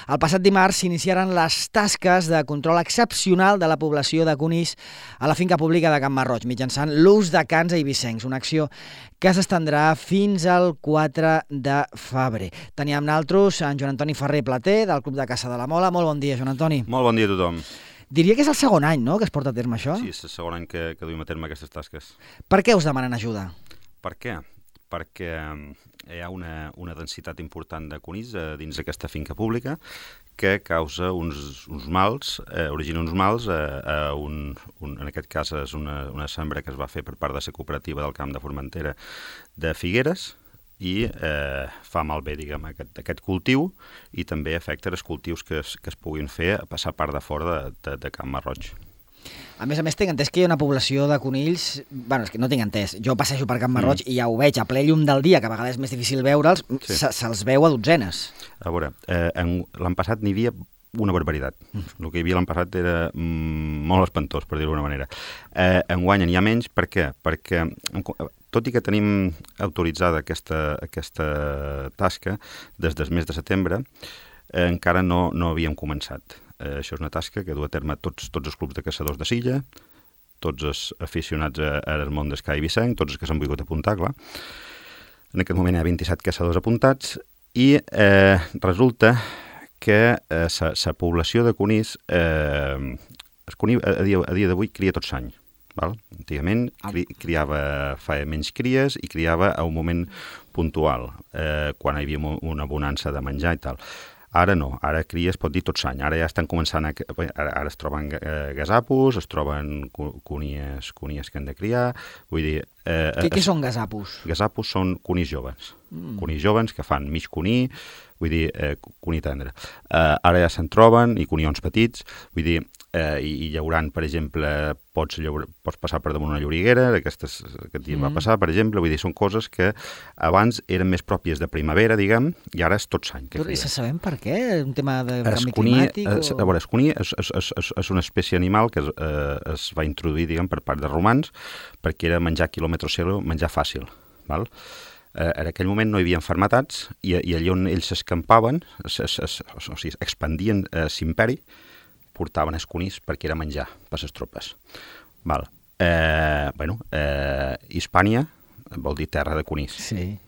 El passat dimarts s'iniciaren les tasques de control excepcional de la població de conills a la finca pública de Can Marroig, mitjançant l'ús de cans eivissencs, una acció que s'estendrà fins al 4 de febrer. Teníem naltros en Joan Antoni Ferrer Plater, del Club de Caça de la Mola. Molt bon dia, Joan Antoni. Molt bon dia a tothom. Diria que és el segon any, no?, que es porta a terme això? Sí, és el segon any que duim a terme aquestes tasques. Per què us demanen ajuda? Per què? Perquè hi ha una densitat important de conills dins d'aquesta finca pública que causa uns mals, origina uns mals, en aquest cas és una sembra que es va fer per part de la cooperativa del Camp de Formentera de Figueres, i fa malbé, diguem, aquest cultiu, i també afecta els cultius que es puguin fer a passar part de fora de Can Marroig. A més, tinc entès que hi ha una població de conills... Bueno, és que no tinc entès. Jo passejo per Can Marroig i ja ho veig a ple llum del dia, que a vegades és més difícil veure'ls, sí. Se'ls veu a dotzenes. A veure, l'any passat n'hi havia una barbaritat. El que hi havia l'any passat era molt espantós, per dir-ho d'una manera. Enguany n'hi ha menys, per què? Perquè, tot i que tenim autoritzada aquesta tasca des del mes de setembre, encara no havíem començat. Això és una tasca que du a terme tots els clubs de caçadors de Silla, tots els aficionats al món d'esquí eivissenc, tots els que s'han volgut apuntar, clar. En aquest moment hi ha 27 caçadors apuntats i resulta que la població de conills, el conill a dia d'avui cria tot l'any. Antigament feia menys cries i criava a un moment puntual, quan hi havia una bonança de menjar i tal. Ara no, ara cria, es pot dir tot l'any. Ara ja estan començant, ara es troben gasapos, es troben conies que han de criar, vull dir... Què són gasapos? Gasapos són conills joves. Conills joves que fan mig conill, vull dir, conill tendre. Ara ja se'n troben, i conions petits, vull dir, i llaurant, per exemple, pots passar per damunt una lloriguera, aquestes que aquest dia va passar, per exemple, vull dir, són coses que abans eren més pròpies de primavera, diguem, i ara és tot l'any. Però i sabem per què? Un tema de canvi climàtic? A veure, el conill és una espècie animal que es va introduir, diguem, per part de romans, perquè era menjar quilòmetre zero, menjar fàcil, val? En aquell moment no hi havia malalties i allà on ells s'escampaven, o sigui, expandien l'imperi, portaven els conills perquè era menjar per les tropes. Hispània vol dir terra de conills. Sí.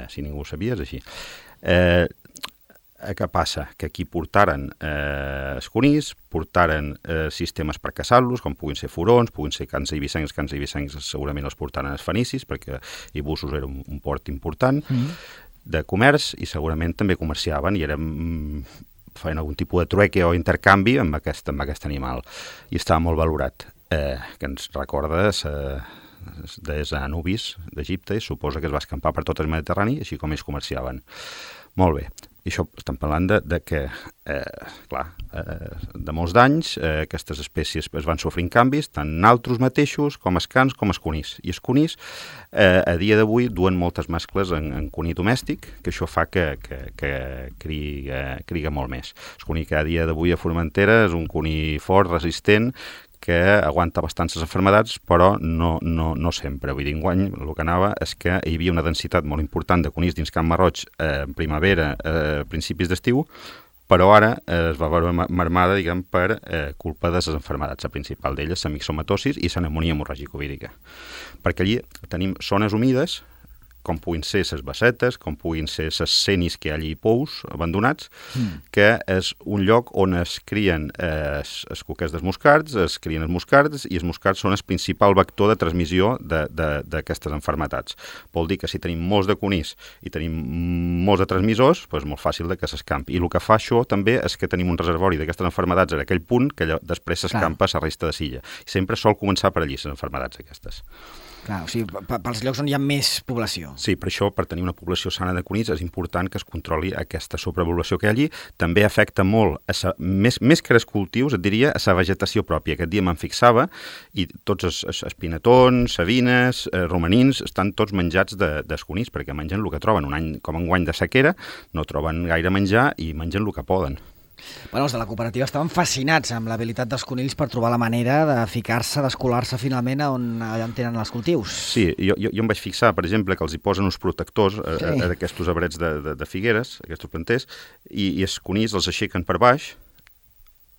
Si ningú ho sabia, és així. Què passa? Que aquí portaren els conills, portaren sistemes per caçar-los, com puguin ser furons, puguin ser cans eivissencs segurament els portaren els fenicis, perquè Ibussos era un port important de comerç, i segurament també comerciaven i feien algun tipus de trueque o intercanvi amb aquest animal, i estava molt valorat, que ens recorda des Anubis d'Egipte, i suposa que es va escampar per tot el Mediterrani, així com ells comerciaven. Molt bé. I això estem parlant de que, de molts d'anys, aquestes espècies es van sofrint canvis, tant naltros mateixos, com els cans, com els conills. I els conills, a dia d'avui, duen moltes mascles en conill domèstic, que això fa que criga molt més. El conill que a dia d'avui a Formentera és un conill fort, resistent, que aguanta bastants les malalties, però no sempre. Vull dir, enguany el que anava és que hi havia una densitat molt important de conills dins Can Marroig en primavera, a principis d'estiu, però ara es va veure marmada, diguem, per culpa de les malalties. La principal d'elles, la mixomatosis i la pneumònia hemorràgica-vírica. Perquè allí tenim zones humides, com puguin ser les bassetes, com puguin ser les cenis que hi ha allí pous abandonats, que és un lloc on es crien els cuquers dels moscards, es crien els moscards, i els moscards són el principal vector de transmissió d'aquestes malalties. Vol dir que si tenim molts de conills i tenim molts de transmissors, és molt fàcil que s'escampi. I el que fa això també és que tenim un reservori d'aquestes malalties en aquell punt que després s'escampa a la resta de Silla. Sempre sol començar per allí, les malalties aquestes. Clar, o sigui, pels llocs on hi ha més població. Sí, per això, per tenir una població sana de conills, és important que es controli aquesta sobrepoblació que hi ha allí. També afecta molt, més que els cultius, et diria, a la vegetació pròpia. Aquest dia me'n fixava, i tots els pinetons, savines, romanins, estan tots menjats dels conills, perquè mengen el que troben. Un any com enguany de sequera, no troben gaire menjar i mengen el que poden. Bueno, els de la cooperativa estaven fascinats amb l'habilitat dels conills per trobar la manera de ficar-se, d'escolar-se finalment allà on tenen els cultius. Sí, jo em vaig fixar, per exemple, que els hi posen uns protectors a aquests arbrets de figueres, aquests planters, i els conills els aixequen per baix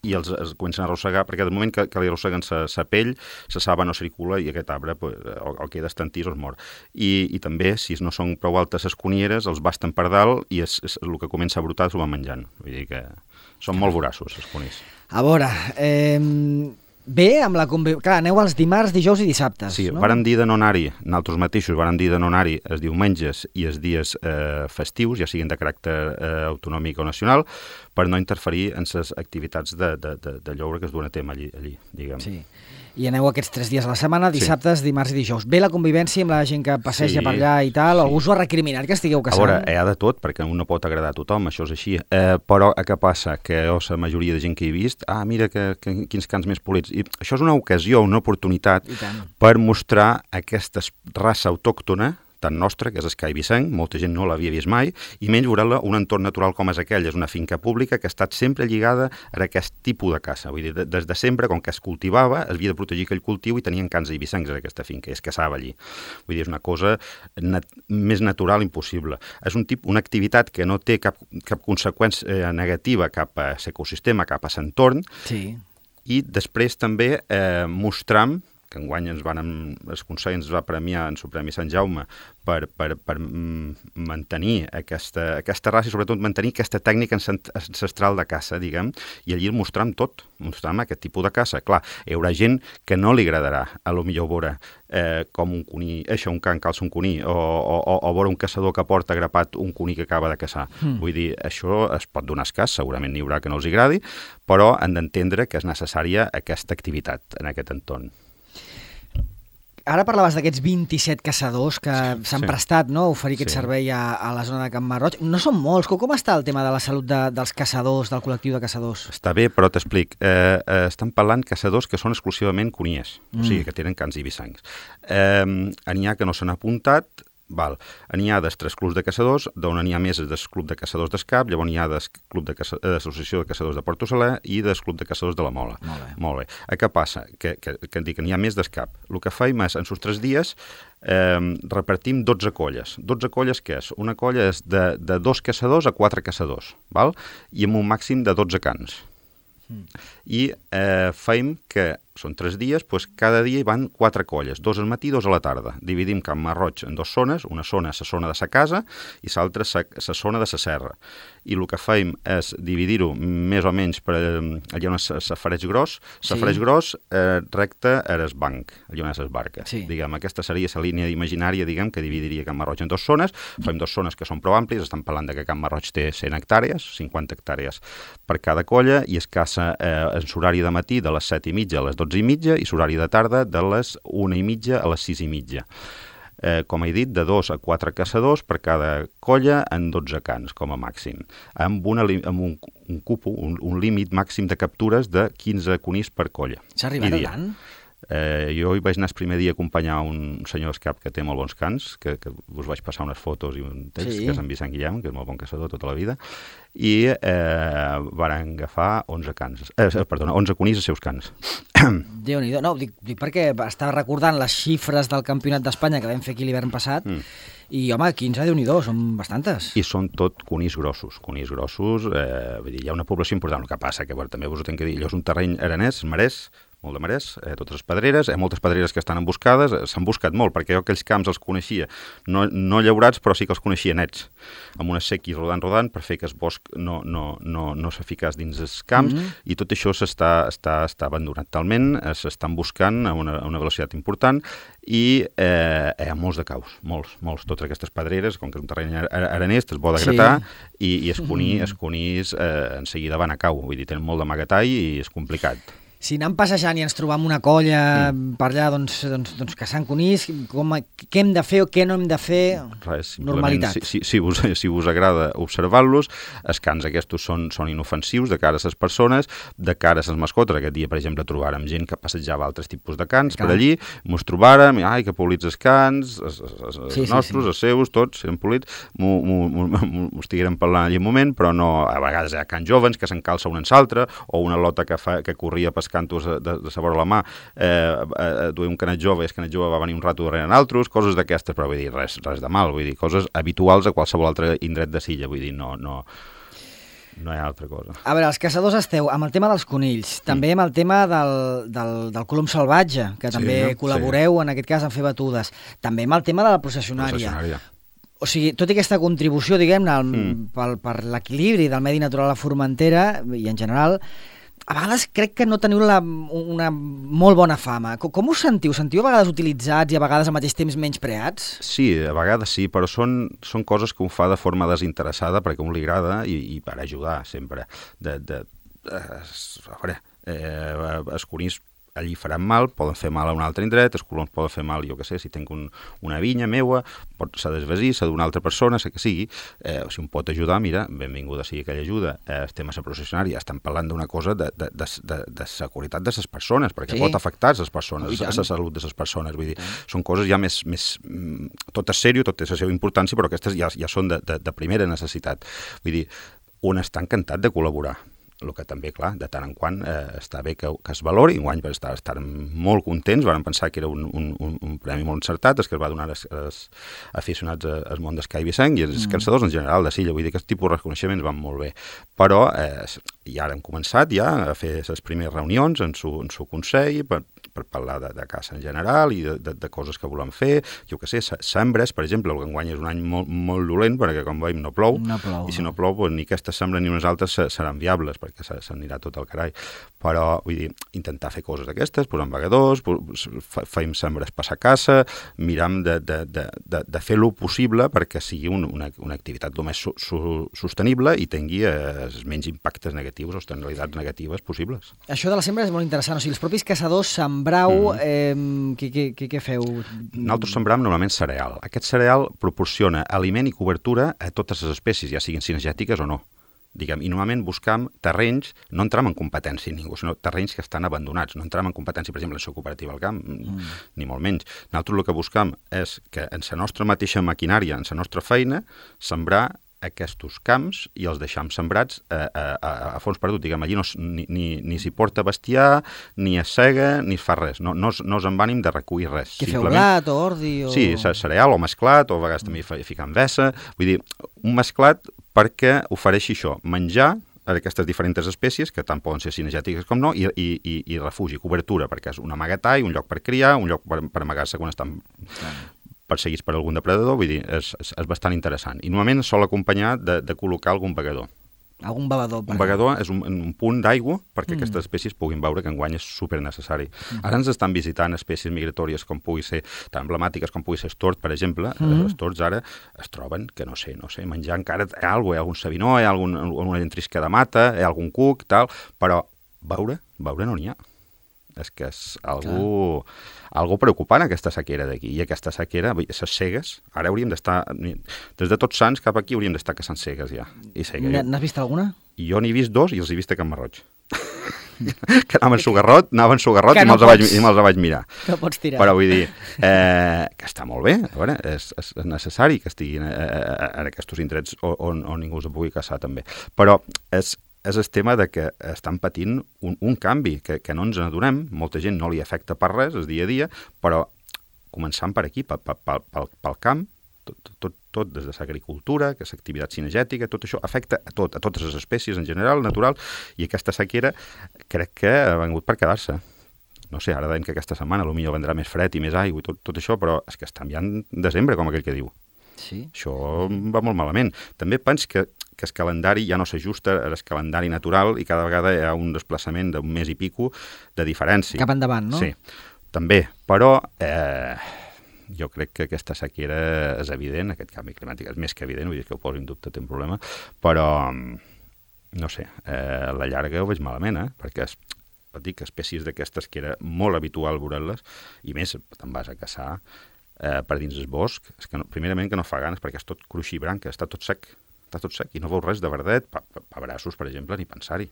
i els comencen a arrossegar, perquè del moment que li arrosseguen sa pell, sa saba no circula i aquest arbre o queda estantís o es mor. I també, si no són prou altes les conieres, els basten per dalt i el que comença a brotar s'ho van menjant. Vull dir que són molt voraços, els conills. A veure, bé, amb la clar, aneu els dimarts, dijous i dissabtes. Sí, no? vàrem dir de no anar-hi, nosaltres mateixos vàrem dir de no anar-hi els diumenges i els dies festius, ja siguin de caràcter autonòmic o nacional, per no interferir en les activitats de lloure que es duen a terme allí, diguem. Sí. I aneu aquests 3 dies a la setmana, dissabtes, dimarts i dijous. Bé la convivència amb la gent que passeja per allà i tal, algú us ho ha recriminat que estigueu caçant? A veure, hi ha de tot, perquè un no pot agradar a tothom, això és així. Però què passa? Que la majoria de gent que he vist, mira quins cans més polits. I això és una ocasió, una oportunitat per mostrar aquesta raça autòctona tan nostra, que és el Cai Vicenc, molta gent no l'havia vist mai, i menys veure-la un entorn natural com és aquell. És una finca pública que ha estat sempre lligada a aquest tipus de caça. Vull dir, des de sempre, com que es cultivava, es havia de protegir aquell cultiu i tenien cans eivissencs en aquesta finca, i es caçava allí. Vull dir, és una cosa més natural impossible. És una activitat que no té cap conseqüència negativa cap a l'ecosistema, cap a l'entorn, i després també mostram que enguany el Consell ens va premiar en el Premi Sant Jaume per mantenir aquesta raça i sobretot mantenir aquesta tècnica ancestral de caça, diguem, i allí el mostrem tot, mostrem aquest tipus de caça. Clar, hi haurà gent que no li agradarà, a lo millor veure com un cuní, un can calça un cuní, o veure un caçador que porta agrapat un cuní que acaba de caçar. Vull dir, això es pot donar escàs, segurament n'hi haurà que no els agradi, però han d'entendre que és necessària aquesta activitat en aquest entorn. Ara parlaves d'aquests 27 caçadors que s'han prestat, no?, a oferir aquest servei a la zona de Can Marroig. No són molts. Com està el tema de la salut dels caçadors, del col·lectiu de caçadors? Està bé, però t'explic. Estan parlant caçadors que són exclusivament coniers, o sigui, que tenen cans eivissencs. N'hi ha que no s'han apuntat, n'hi ha dels 3 clubs de caçadors, d'on n'hi ha més del club de caçadors d'Escap, llavors n'hi ha del club de l'Associació de Caçadors de Porto Saler i del club de caçadors de la Mola. Molt bé. Què passa? Que n'hi ha més d'Escap. El que faim és, en els 3 dies, repartim 12 colles. 12 colles què és? Una colla és de 2 caçadors a 4 caçadors, i amb un màxim de 12 cans. I faim que són 3 dies, doncs cada dia hi van 4 colles, 2 al matí i 2 a la tarda. Dividim Can Marroig en 2 zones, una zona és la zona de sa casa i l'altra la zona de sa serra. I el que faim és dividir-ho més o menys per allà on és safareig gros. Safareig gros recte a el banc, allà on és el barca. Diguem, aquesta seria la línia imaginària, diguem, que dividiria Can Marroig en 2 zones. Faim 2 zones que són prou àmplies, estem parlant que Can Marroig té 100 hectàrees, 50 hectàrees per cada colla, i es caça en l'horari de matí de les 7:30 a les 12:30 i l'horari de tarda de les 1:30 a les 6:30. Com he dit, de 2 a 4 caçadors per cada colla en 12 cans, com a màxim, amb un cupo, un límit màxim de captures de 15 conills per colla. S'ha arribat a tant? Jo hi vaig anar el primer dia a acompanyar un senyor d'Escap que té molt bons cans, que us vaig passar unes fotos i un text, que és en Vicent Guillem, que és molt bon caçador tota la vida, i varen agafar 11 conills als seus cans. Déu-n'hi-do. No, dic perquè estava recordant les xifres del Campionat d'Espanya que vam fer aquí l'hivern passat, i, home, 15, Déu-n'hi-do, són bastantes. I són tot conills grossos. Conills grossos, vull dir, hi ha una població important. El que passa que, també us ho tinc que dir, allò és un terreny aranès, marès, molt de marès, totes les pedreres, moltes pedreres que estan emboscades, s'han buscat molt, perquè jo aquells camps els coneixia, no llaurats, però sí que els coneixia nets, amb unes sequis rodant, per fer que el bosc no s'eficaç dins els camps, i tot això està abandonat talment, s'estan buscant a una velocitat important, i hi ha molts de caus, molts. Totes aquestes pedreres, com que és un terreny aranès, te'ls vol agratar, i els conills en seguida van a cau, vull dir, tenen molt d'amagatall i és complicat. Si anem passejant i ens trobam una colla per allà doncs, caçant conills, què hem de fer o què no hem de fer? Res, normalitat. Si us agrada observar-los, els cants aquests són inofensius de cara a les persones, de cara a les mascotes. Aquest dia, per exemple, trobàrem gent que passejava altres tipus de cants per allí, mos trobàrem, que polits els cants, els nostres, els seus, tots eren polits, m'ho estiguérem parlant allà un moment, però no, a vegades hi ha cants joves que s'encalça un en l'altre, o una lota que corria pescant de la vora la mà, duia un canet jove i el canet jove va venir un rato darrere altres, coses d'aquestes, però vull dir, res de mal, vull dir, coses habituals a qualsevol altre indret de Silla, vull dir, no hi ha altra cosa. A veure, els caçadors esteu amb el tema dels conills, també amb el tema del colom salvatge, que també col·laboreu en aquest cas en fer batudes, també amb el tema de la processionària. O sigui, tot i aquesta contribució, diguem-ne, per l'equilibri del medi natural a Formentera i en general, a vegades crec que no teniu una molt bona fama. Com us sentiu? Sentiu a vegades utilitzats i a vegades al mateix temps menyspreats? Sí, a vegades sí, però són coses que un fa de forma desinteressada perquè a un li agrada i per ajudar sempre. A veure, els conills allí faran mal, poden fer mal a un altre indret, els coloms poden fer mal, jo què sé, si tinc una vinya meua, s'ha d'esvasir, s'ha d'una altra persona, sé que sigui, si un pot ajudar, mira, benvinguda sigui aquella ajuda. Estem a la processionària, estem parlant d'una cosa de seguretat de les persones, perquè pot afectar les persones, la salut de les persones, vull dir, són coses ja més tot és sèrio, tot té la seva importància, però aquestes ja són de primera necessitat. Vull dir, un està encantat de col·laborar. El que també, clar, de tant en quant està bé que es valori. Enguany estarem molt contents, vam pensar que era un premi molt encertat, que es va donar als aficionats al món d'esquí vicenc i als caçadors en general de Silla. Vull dir que aquest tipus de reconeixements van molt bé. Però i ara hem començat ja a fer les primeres reunions en su consell per parlar de caça en general i de coses que volem fer. Jo què sé, sembres, per exemple, el que enguany és un any molt dolent perquè, com veiem, no plou. I si no plou, ni aquestes sembres ni unes altres seran viables perquè s'anirà tot al carall. Però, vull dir, intentar fer coses d'aquestes, posar vagadors, fem sembres passar caça, miram de fer lo possible perquè sigui una activitat el més sostenible i tingui els menys impactes negatius o externalitats negatives possibles. Això de la sembra és molt interessant. O sigui, els propis caçadors sembrau, què feu? Nosaltres sembram normalment cereal. Aquest cereal proporciona aliment i cobertura a totes les espècies, ja siguin cinegètiques o no. I normalment buscam terrenys, no entram en competència amb ningú, sinó terrenys que estan abandonats, no entram en competència, per exemple, en la cooperativa al camp, ni molt menys. Nosaltres el que buscam és que en la nostra mateixa maquinària, en la nostra feina, sembrar aquests camps i els deixam sembrats a fons perdut. Allí ni s'hi porta bestiar, ni es sega, ni es fa res. No és amb ànim de recollir res. Què feu, blat o ordi? Sí, cereal o mesclat, o a vegades també ficam vessa. Vull dir, un mesclat perquè ofereixi això, menjar a aquestes diferents espècies, que tant poden ser cinegètiques com no, i refugi, cobertura, perquè és un amagatall, un lloc per criar, un lloc per amagar-se quan estan perseguits per algun depredador, vull dir, és bastant interessant. I normalment sol acompanyar de col·locar algun begador. Algun begador. Un begador és un punt d'aigua perquè aquestes espècies puguin veure que enguany és supernecessari. Ara ens estan visitant espècies migratòries com pugui ser, tan emblemàtiques com pugui ser el tord, per exemple. Els tords ara es troben que, no sé, menjar encara hi ha algun sabinó, hi ha alguna llentisca de mata, hi ha algun cuc, tal, però veure no n'hi ha. És que és algo preocupant, aquesta sequera d'aquí. I aquesta sequera, les segues, ara hauríem d'estar, des de Tots Sants cap aquí hauríem d'estar caçant segues ja. N'has vist alguna? Jo n'he vist dos i els he vist a Can Marroig. Que anaven sugarrot i me'ls vaig mirar. No pots tirar. Però vull dir que està molt bé, a veure, és necessari que estiguin en aquests indrets on ningú els pugui caçar també. Però és el tema de que estan patint un canvi que no ens n'adonem, molta gent no li afecta per res, el dia a dia, però començant per aquí, pel camp, tot des de l'agricultura, que és activitat cinegètica, tot això afecta a totes les espècies en general, natural, i aquesta sequera crec que ha vingut per quedar-se. No sé, ara deim que aquesta setmana potser vendrà més fred i més aigua i tot això, però és que estem ja en desembre, com aquell que diu. Sí. Això va molt malament. També penso que el calendari ja no s'ajusta al calendari natural i cada vegada hi ha un desplaçament d'un mes i pico de diferència. Cap endavant, no? Sí, també. Però jo crec que aquesta sequera és evident, aquest canvi climàtic és més que evident, vull dir que ho poso en dubte, té un problema, però no sé, a la llarga ho veig malament, perquè dic, espècies d'aquestes que era molt habitual veure-les, i més, te'n vas a caçar per dins el bosc, és que primerament que no fa ganes perquè és tot cruixir branca, està tot sec, i no veus res de verdet, pebrassos, per exemple, ni pensar-hi.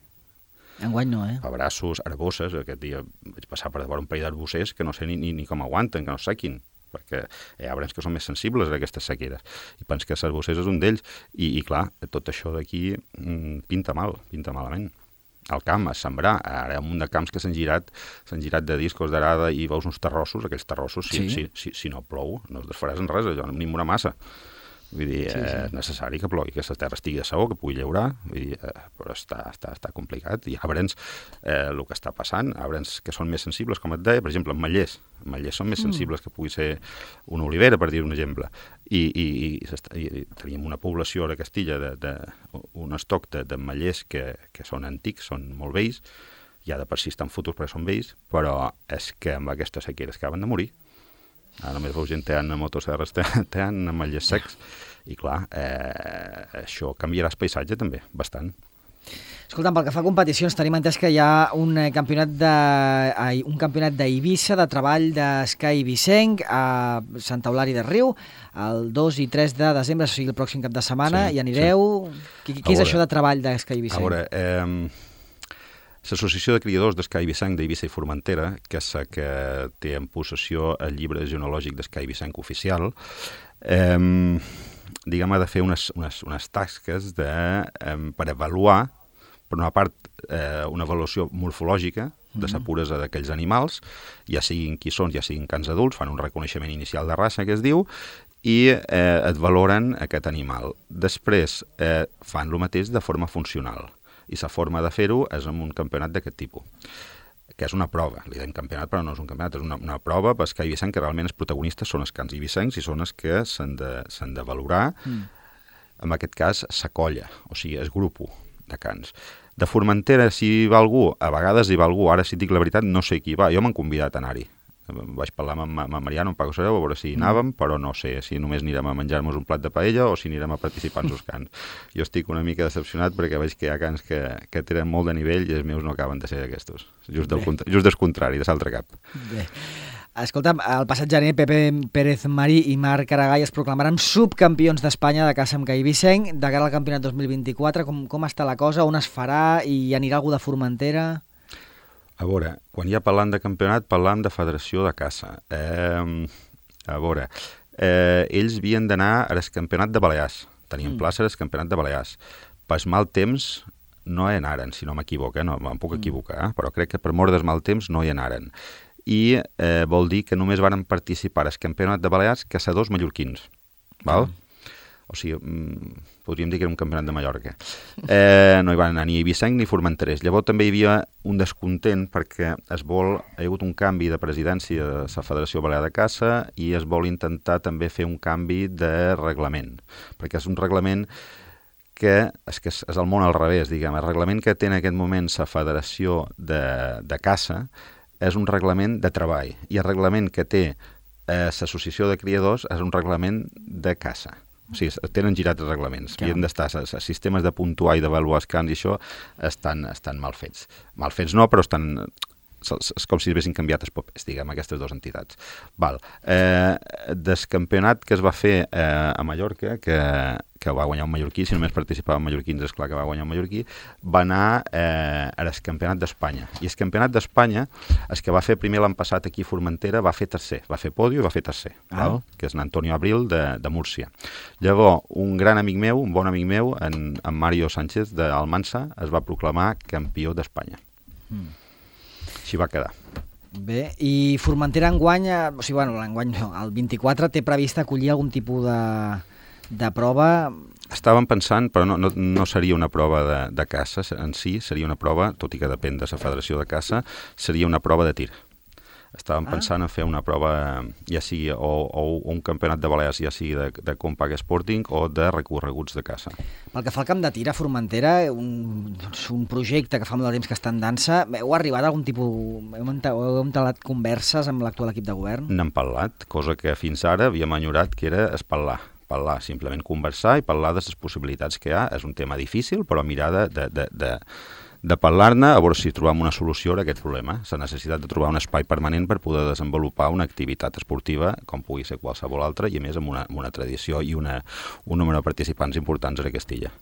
Enguany no, Pebrassos, arbosses, aquest dia vaig passar per davant un parell d'arbossers que no sé ni com aguanten, que no sequin, perquè hi ha arbres que són més sensibles a aquestes sequeres, i penso que l'arbossers és un d'ells, i clar, tot això d'aquí pinta malament. Al camp, a sembrar, ara hi ha un munt de camps que s'han girat de discos d'arada i veus uns terrossos, aquells terrossos, si no plou, no es desfaràs en res, allò, ni una massa. Vull dir, és necessari que plogui, que la terra estigui de saó, que pugui llaurar, vull dir, però està complicat. Hi ha arbres, el que està passant, arbres que són més sensibles, com et deia, per exemple, mallers són més sensibles que pugui ser una olivera, per dir un exemple. I teníem una població a Castilla, un estoc de mallers que són antics, són molt vells, ja de per si estan fotos perquè són vells, però és que amb aquestes sequeres acaben de morir. Ara només veus gent teant a motosserres, teant a mallers secs, i clar, això canviarà el paisatge també, bastant. Escolta'm, pel que fa a competicions, tenim entès que hi ha un campionat d'Eivissa de treball d'esquí eivissenc a Santa Eulària de Riu, el 2 i 3 de desembre, o sigui, el pròxim cap de setmana, i anireu... Sí. Què és això de treball d'esquí eivissenc? A veure, l'Associació de Criadors d'Esquí eivissenc d'Eivissa i Formentera, que és la que té en possessió el llibre genealògic d'esquí eivissenc oficial, diguem, ha de fer unes tasques per avaluar, per una part, una avaluació morfològica de la puresa d'aquells animals, ja siguin qui són, ja siguin cans adults, fan un reconeixement inicial de raça, que es diu, i et valoren aquest animal. Després fan el mateix de forma funcional. I la forma de fer-ho és amb un campionat d'aquest tipus, que és una prova. Li dèiem campionat, però no és un campionat, és una prova per esquí eivissenc, que realment els protagonistes són els cans eivissencs i són els que s'han de valorar, en aquest cas, la colla, o sigui, el grup de cans. De Formentera, si hi va algú, a vegades hi va algú, ara si et dic la veritat no sé qui va, jo m'han convidat a anar-hi. Vaig parlar amb Mariano, amb Paco Sereu, a veure si hi anàvem, però no sé si només anirem a menjar-nos un plat de paella o si anirem a participar en els cants. Jo estic una mica decepcionat perquè veig que hi ha cants que tenen molt de nivell i els meus no acaben de ser d'aquestos. Just del contrari, de l'altre cap. Bé. Escolta'm, el passat gener Pepe Pérez Marí i Marc Aragall es proclamaran subcampions d'Espanya de caça amb gai eivissenc de cara al campionat 2024. Com està la cosa? On es farà? I anirà algú de Formentera? A veure, quan ja parlant de campionat, parlam de federació de caça. A veure, ells havien d'anar al campionat de Balears. Tenien plaça al campionat de Balears. Per mal temps no hi anaren, si no m'equivoco, no me'n puc equivocar, però crec que per mort del mal temps no hi anaren. I vol dir que només van participar al campionat de Balears caçadors mallorquins. Val? O sigui, podríem dir que era un campionat de Mallorca. No hi van anar ni eivissenc ni formenterers. Llavors també hi havia un descontent perquè hi ha hagut un canvi de presidència de la Federació Balear de Caça i es vol intentar també fer un canvi de reglament, perquè és un reglament que és el món al revés, diguem. El reglament que té en aquest moment la Federació de Caça és un reglament de treball i el reglament que té l'Associació de Criadors és un reglament de caça. O sigui, tenen girat els reglaments. Havien d'estar, els sistemes de puntuar i d'avaluar els cants i això estan mal fets. Mal fets no, però estan... És com si haguessin canviat els papers, diguem, aquestes dues entitats. Val. Del campionat que es va fer a Mallorca, que va guanyar un mallorquí, si només participava en mallorquins, és clar que va guanyar un mallorquí, va anar al campionat d'Espanya. I el campionat d'Espanya, el que va fer primer l'any passat aquí a Formentera, va fer tercer. Va fer pòdio i va fer tercer, val? Que és en Antonio Abril de Múrcia. Llavors, un gran amic meu, un bon amic meu, en Mario Sánchez d'Almansa, es va proclamar campió d'Espanya. Així va quedar. Bé, i Formentera enguany, o sigui, bueno, l'enguany no, el 24 té previst acollir algun tipus de prova? Estàvem pensant, però no seria una prova de caça en si, seria una prova, tot i que depèn de la Federació de Caça, seria una prova de tir. Estàvem pensant en fer una prova, ja sigui o un campionat de Balears, ja sigui de Compact Sporting o de recorreguts de caça. Pel que fa al camp de tir a Formentera, un projecte que fa molt de temps que està en dansa, heu arribat a algun tipus... Heu entablat converses amb l'actual equip de govern? N'hem parlat, cosa que fins ara havíem enyorat, que era parlar, simplement conversar i parlar de les possibilitats que hi ha. És un tema difícil, però mirar de parlar-ne, a veure si trobem una solució a aquest problema. La necessitat de trobar un espai permanent per poder desenvolupar una activitat esportiva com pugui ser qualsevol altra i a més amb una tradició i un número de participants importants a Castilla.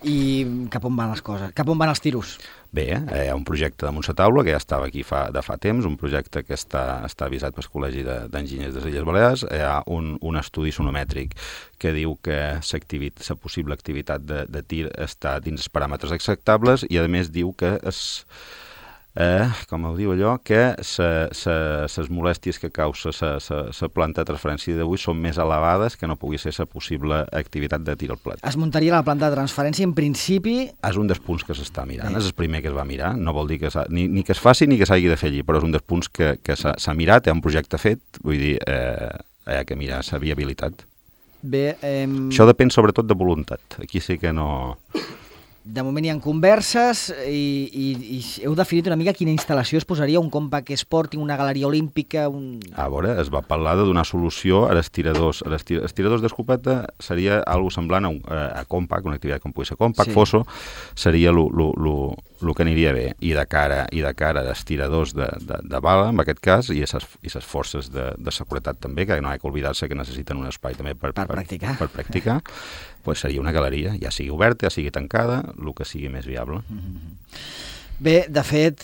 I cap on van les coses? Cap on van els tiros? Bé, hi ha un projecte damunt la taula que ja estava aquí de fa temps, un projecte que està avisat pel Col·legi d'Enginyers de les Illes Balears. Hi ha un estudi sonomètric que diu que la possible activitat de tir està dins els paràmetres acceptables i, a més, diu que com ho diu allò, que les molèsties que causa la planta de transferència d'avui són més elevades que no pugui ser la possible activitat de tir al plat. Es muntaria la planta de transferència, en principi... És un dels punts que s'està mirant, és el primer que es va mirar, no vol dir que ni que es faci ni que s'hagi de fer allí, però és un dels punts que s'ha mirat, hi ha un projecte fet, vull dir, hi ha que mirar la viabilitat. Bé, això depèn sobretot de voluntat, aquí sí que no... De moment hi ha converses i heu definit una mica quina instal·lació es posaria, un compact sporting, una galeria olímpica... A veure, es va parlar de donar solució als tiradors. Els tiradors d'escopeta seria algo semblant a compact, una activitat com pugui ser compact, sí. Fosso, seria el que aniria bé. I de cara als tiradors de bala, en aquest cas, i les forces de seguretat també, que no hi ha que oblidar-se que necessiten un espai també per practicar. Pues seria una galeria, ja sigui oberta, ja sigui tancada, el que sigui més viable. Bé, de fet,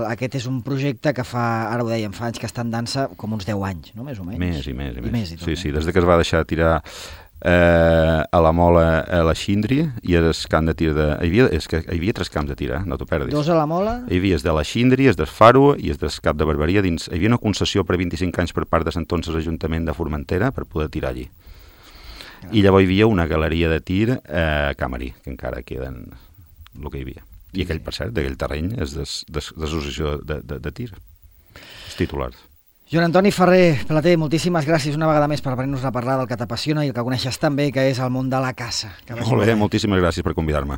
aquest és un projecte que ara ho dèiem, fa anys que està en dansa com uns 10 anys, no? Més o menys. Més i més. Sí, des que es va deixar tirar a la Mola, a la Xindri, i el camp de tir hi havia 3 camps de tir, no t'ho perdis. 2 a la Mola? Hi havia de la Xindri, del Faro i del Cap de Barberia. Hi havia una concessió per 25 anys per part de l'entonces Ajuntament de Formentera per poder tirar allí. I llavors hi havia una galeria de tir a Camarí, que encara queden el que hi havia. I aquell, per cert, d'aquell terreny és d'associació de tir, els titulars. Joan Antoni Ferrer Plater, moltíssimes gràcies una vegada més per venir-nos a parlar del que t'apassiona i el que coneixes tan bé, que és el món de la caça. Molt bé, moltíssimes gràcies per convidar-me.